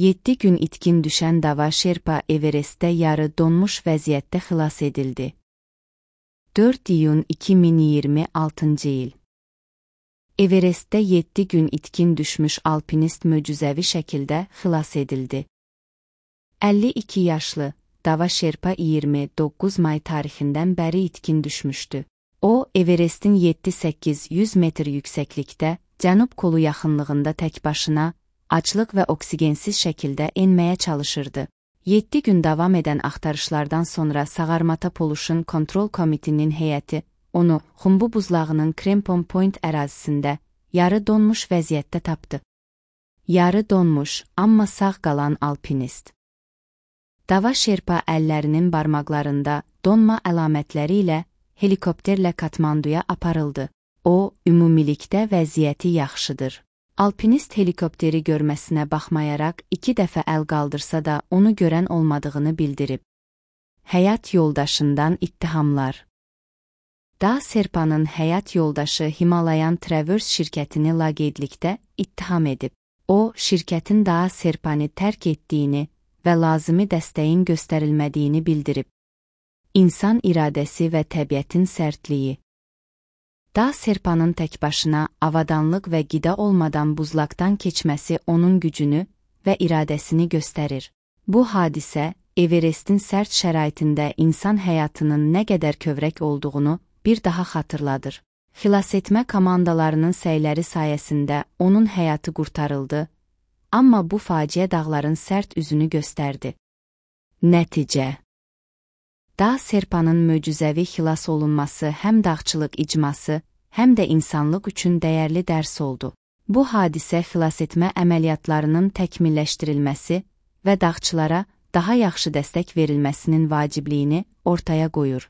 7 gün itkin düşən Dava Şerpa Everestdə yarı donmuş vəziyyətdə xilas edildi. 4 iyun 2026 il. Everestdə 7 gün itkin düşmüş alpinist möcüzəvi şəkildə xilas edildi. 52 yaşlı Dava Şerpa 29 may tarixindən bəri itkin düşmüşdü. O, Everestin 7-800 metr yüksəklikdə, cənub kolu yaxınlığında tək başına, aclıq və oksigensiz şəkildə enməyə çalışırdı. 7 gün davam edən axtarışlardan sonra Sağarmata Pollution Control Committee'nin heyəti onu Xumbu buzlağının Crampon Point ərazisində yarı donmuş vəziyyətdə tapdı. Yarı donmuş, amma sağ qalan alpinist. Dava Şerpa əllərinin barmaqlarında donma əlamətləri ilə helikopterlə Katmanduya aparıldı. O, ümumilikdə vəziyyəti yaxşıdır. Alpinist helikopteri görməsinə baxmayaraq 2 dəfə əl qaldırsa da onu görən olmadığını bildirib. Həyat yoldaşından ittihamlar. Dava Şerpanın həyat yoldaşı Himalayan Traverse şirkətini laqeydlikdə ittiham edib. O, şirkətin Dava Şerpanı tərk etdiyini və lazımi dəstəyin göstərilmədiyini bildirib. İnsan iradəsi və təbiətin sərtliyi. Dava Şerpanın tək başına avadanlıq və qida olmadan buzlaqdan keçməsi onun gücünü və iradəsini göstərir. Bu hadisə, Everestin sərt şəraitində insan həyatının nə qədər kövrək olduğunu bir daha xatırladır. Xilasetmə komandalarının səyləri sayəsində onun həyatı qurtarıldı, amma bu faciə dağların sərt üzünü göstərdi. Nəticə. Dava Şerpanın möcüzəvi xilas olunması həm dağçılıq icması, həm də insanlıq üçün dəyərli dərs oldu. Bu hadisə xilasetmə əməliyyatlarının təkmilləşdirilməsi və dağçılara daha yaxşı dəstək verilməsinin vacibliyini ortaya qoyur.